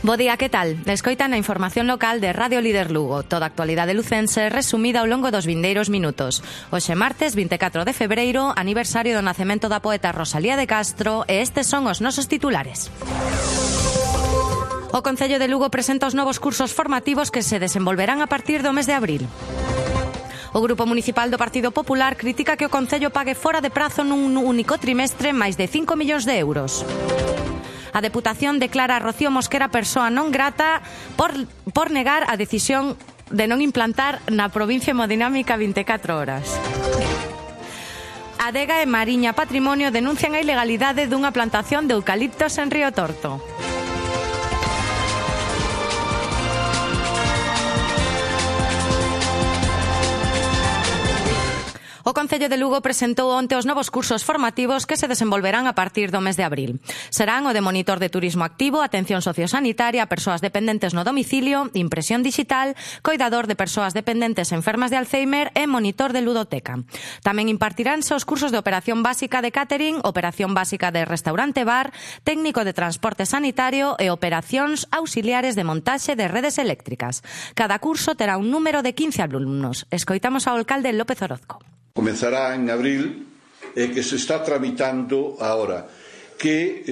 Bo día, que tal? Escoitan a información local de Radio Líder Lugo. Toda a actualidade lucense resumida ao longo dos vindeiros minutos. Hoxe martes 24 de febreiro, aniversario do nacemento da poeta Rosalía de Castro, e estes son os nosos titulares. O Concello de Lugo presenta os novos cursos formativos que se desenvolverán a partir do mes de abril. O Grupo Municipal do Partido Popular critica que o Concello pague fora de prazo nun único trimestre máis de 5 millóns de euros. A Deputación declara a Rocío Mosquera persoa non grata por negar a decisión de non implantar na provincia hemodinámica 24 horas. Adega e Mariña Patrimonio denuncian a ilegalidade dunha plantación de eucaliptos en Río Torto. O Concello de Lugo presentou onte os novos cursos formativos que se desenvolverán a partir do mes de abril. Serán o de monitor de turismo activo, atención sociosanitaria a persoas dependentes no domicilio, impresión digital, coidador de persoas dependentes enfermas de Alzheimer e monitor de ludoteca. Tamén impartiránse os cursos de operación básica de catering, operación básica de restaurante-bar, técnico de transporte sanitario e operacións auxiliares de montaxe de redes eléctricas. Cada curso terá un número de 15 alumnos. Escoitamos ao alcalde López Orozco. Comezará en abril e que se está tramitando ahora, que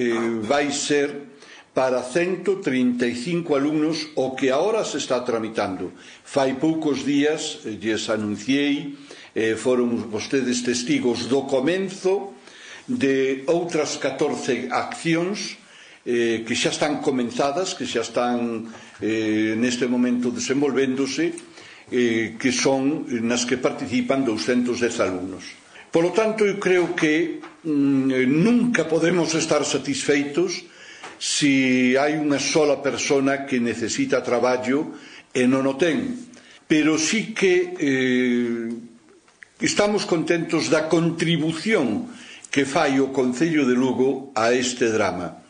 vai ser para 135 alumnos o que ahora se está tramitando. Fai poucos días lles anunciei, foron vostedes testigos do comenzo de outras 14 accións que xa están comenzadas, que xa están neste momento desenvolvéndose, que son nas que participan 210 alumnos. Por lo tanto, eu creo que nunca podemos estar satisfeitos se hai unha sola persona que necesita traballo e non o ten. Pero sí que estamos contentos da contribución que fai o Concello de Lugo a este drama.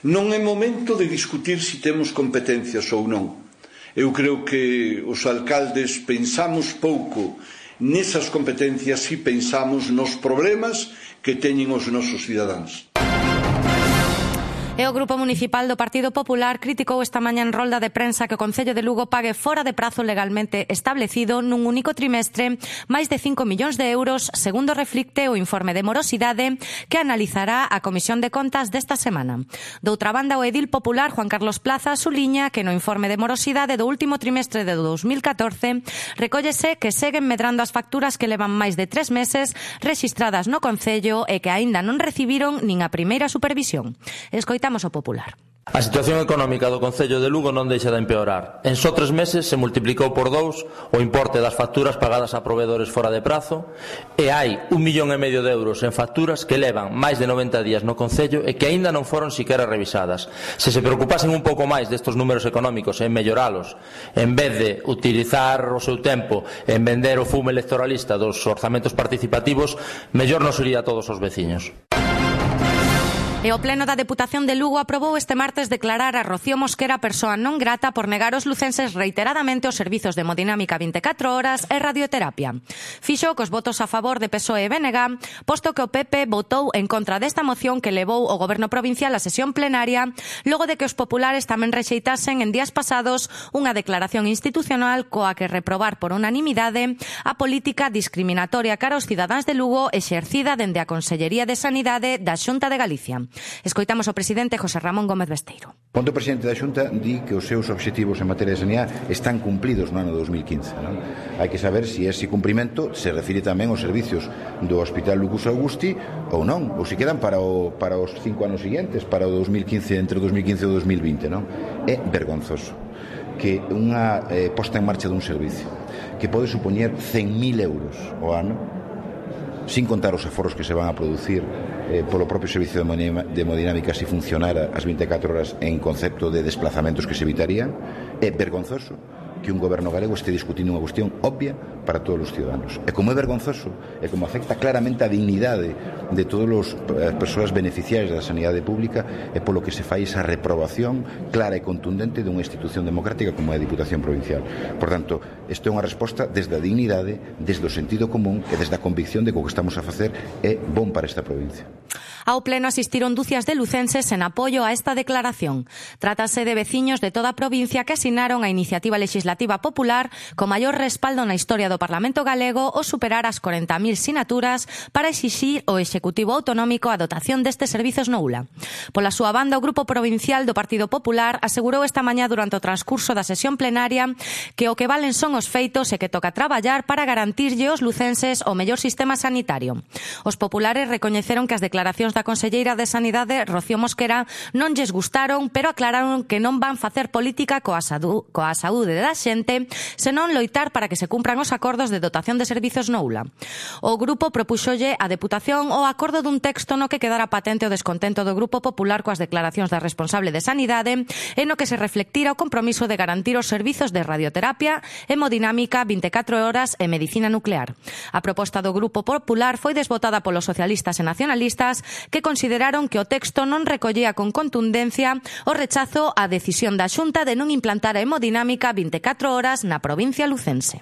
Non é momento de discutir se temos competencias ou non. Eu creo que os alcaldes pensamos pouco nesas competencias e pensamos nos problemas que teñen os nosos cidadáns. E o Grupo Municipal do Partido Popular criticou esta mañá en rolda de prensa que o Concello de Lugo pague fora de prazo legalmente establecido nun único trimestre máis de 5 millóns de euros, segundo reflicte o informe de morosidade que analizará a Comisión de Contas desta semana. Doutra banda, o edil popular Juan Carlos Plaza suliña que no informe de morosidade do último trimestre de 2014 recóllese que seguen medrando as facturas que levan máis de 3 meses rexistradas no Concello e que aínda non recibiron nin a primeira supervisión. Escoitamos o popular. A situación económica do Concello de Lugo non deixa de empeorar. En só 3 meses se multiplicou por 2 o importe das facturas pagadas a proveedores fora de prazo e hai 1,5 millón de euros en facturas que levan máis de 90 días no Concello e que aínda non foron siquera revisadas. Se preocupasen un pouco máis destes números económicos e en melloralos, en vez de utilizar o seu tempo en vender o fume electoralista dos orzamentos participativos, mellor nos iría a todos os veciños. E o Pleno da Deputación de Lugo aprobou este martes declarar a Rocío Mosquera persoa non grata por negar aos lucenses reiteradamente os servizos de hemodinámica 24 horas e radioterapia. Fixo cos votos a favor de PSOE e BNG, posto que o PP votou en contra desta moción que levou o Goberno provincial á sesión plenaria, logo de que os populares tamén rexeitasen en días pasados unha declaración institucional coa que reprobar por unanimidade a política discriminatoria cara aos cidadáns de Lugo exercida dende a Consellería de Sanidade da Xunta de Galicia. Escoitamos o presidente José Ramón Gómez Besteiro. Onde o presidente da Xunta di que os seus obxectivos en materia de sanidade están cumplidos no ano 2015. Non? Hai que saber se ese cumprimento se refire tamén aos servicios do Hospital Lucus Augusti ou non, ou se quedan para os 5 anos seguintes, para o 2015, entre o 2015 e o 2020. Non? É vergonzoso que unha posta en marcha dun servicio que pode supoñer 100.000 euros ao ano, sin contar os aforros que se van a producir polo propio servicio de hemodinámica se funcionara as 24 horas en concepto de desplazamentos que se evitarían. É vergonzoso que un goberno galego este discutindo unha cuestión obvia para todos os ciudadanos. E como é vergonzoso, e como afecta claramente a dignidade de todas as persoas beneficiarias da sanidade pública, é polo que se fai esa reprobación clara e contundente dunha institución democrática como é a Diputación Provincial. Por tanto, isto é unha resposta desde a dignidade, desde o sentido común e desde a convicción de que o que estamos a facer é bon para esta provincia. Ao pleno asistiron dúcias de lucenses en apoio a esta declaración. Trátase de veciños de toda a provincia que asinaron a iniciativa legislativa popular co maior respaldo na historia do Parlamento galego ao superar as 40.000 sinaturas para exixir ao Executivo Autonómico a dotación destes servizos no ULA. Pola súa banda, o Grupo Provincial do Partido Popular asegurou esta mañá durante o transcurso da sesión plenaria que o que valen son os feitos e que toca traballar para garantirlle aos lucenses o mellor sistema sanitario. Os populares recoñeceron que as declaracións da conselleira de Sanidade, Rocío Mosquera, non lles gustaron, pero aclararon que non van facer política coa saúde da xente, senón loitar para que se cumpran os acordos de dotación de servizos no ULA. O grupo propúxolle a Deputación o acordo dun texto no que quedara patente o descontento do Grupo Popular coas declaracións da responsable de Sanidade e no que se reflectira o compromiso de garantir os servizos de radioterapia, hemodinámica, 24 horas e medicina nuclear. A proposta do Grupo Popular foi desbotada polos socialistas e nacionalistas que consideraron que o texto non recollía con contundencia o rechazo á decisión da Xunta de non implantar a hemodinámica 24 horas na provincia lucense.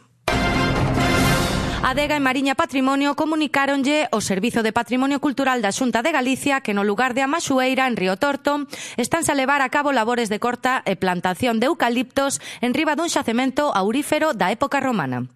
Adega e Mariña Patrimonio comunicáronlle ao Servizo de Patrimonio Cultural da Xunta de Galicia que no lugar de Amaxueira, en Río Torto, estánse a levar a cabo labores de corta e plantación de eucaliptos en riba dun xacemento aurífero da época romana.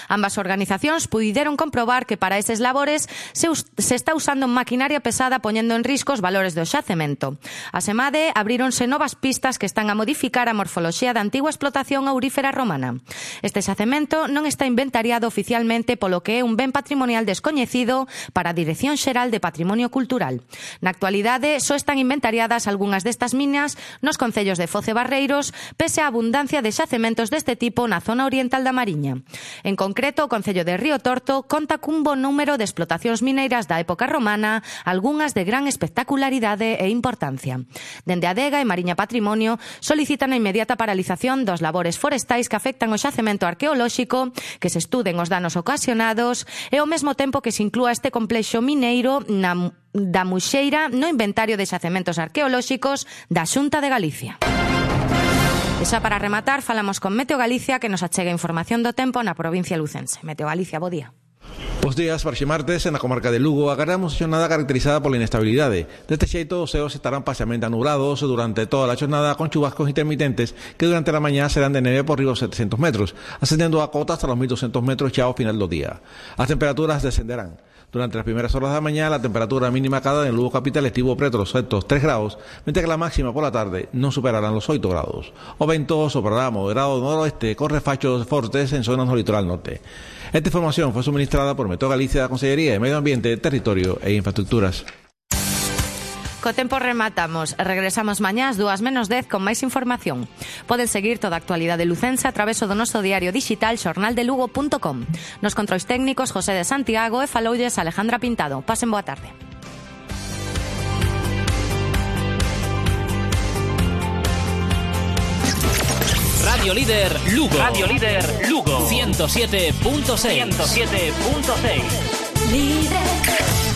Ambas organizacións puideron comprobar que para eses labores se está usando maquinaria pesada poñendo en risco os valores do xacemento. Asemade, abríronse novas pistas que están a modificar a morfoloxía da antigua explotación aurífera romana. Este xacemento non está inventariado oficialmente polo que é un ben patrimonial descoñecido para a Dirección Xeral de Patrimonio Cultural. Na actualidade, só están inventariadas algunhas destas minas nos concellos de Foz e Barreiros, pese á abundancia de xacementos deste tipo na zona oriental da Mariña. En concreto, o concello de Río Torto conta cun bo número de explotacións mineiras da época romana, algunhas de gran espectacularidade e importancia. Dende Adega e Mariña Patrimonio solicitan a inmediata paralización dos labores forestais que afectan o xacemento arqueolóxico, que se estuden os danos ocasionados e ao mesmo tempo que se inclúa este complexo mineiro da Muxeira no inventario de xacementos arqueolóxicos da Xunta de Galicia. E xa para rematar, falamos con Meteo Galicia que nos achega información do tempo na provincia lucense. Meteo Galicia, bo día. Bos días, para martes, na comarca de Lugo, agardamos a xornada caracterizada pola inestabilidade. Deste xeito, os ceos estarán parcialmente anulados durante toda a xornada con chubascos intermitentes que durante a mañá serán de neve por riba dos 700 metros, ascendendo a cota hasta los 1.200 metros xa ao final do día. As temperaturas descenderán. Durante las primeras horas de la mañana, la temperatura mínima acá en Lugo Capital estivo preto los 3 grados, mientras que la máxima por la tarde no superarán los 8 grados. O vento soprará moderado noroeste con refachos fortes en zonas del litoral norte. Esta información fue suministrada por Meteo Galicia, Consellería de Medio Ambiente, Territorio e Infraestructuras. Co tempo rematamos. Regresamos mañá ás 2:10 con máis información. Poden seguir toda a actualidade lucense a través do noso diario digital xornaldelugo.com. Nos controis técnicos José de Santiago e faloulles Alejandra Pintado. Pasen boa tarde. Radio Líder Lugo. Radio Líder Lugo. 107.6. 107.6. Líder.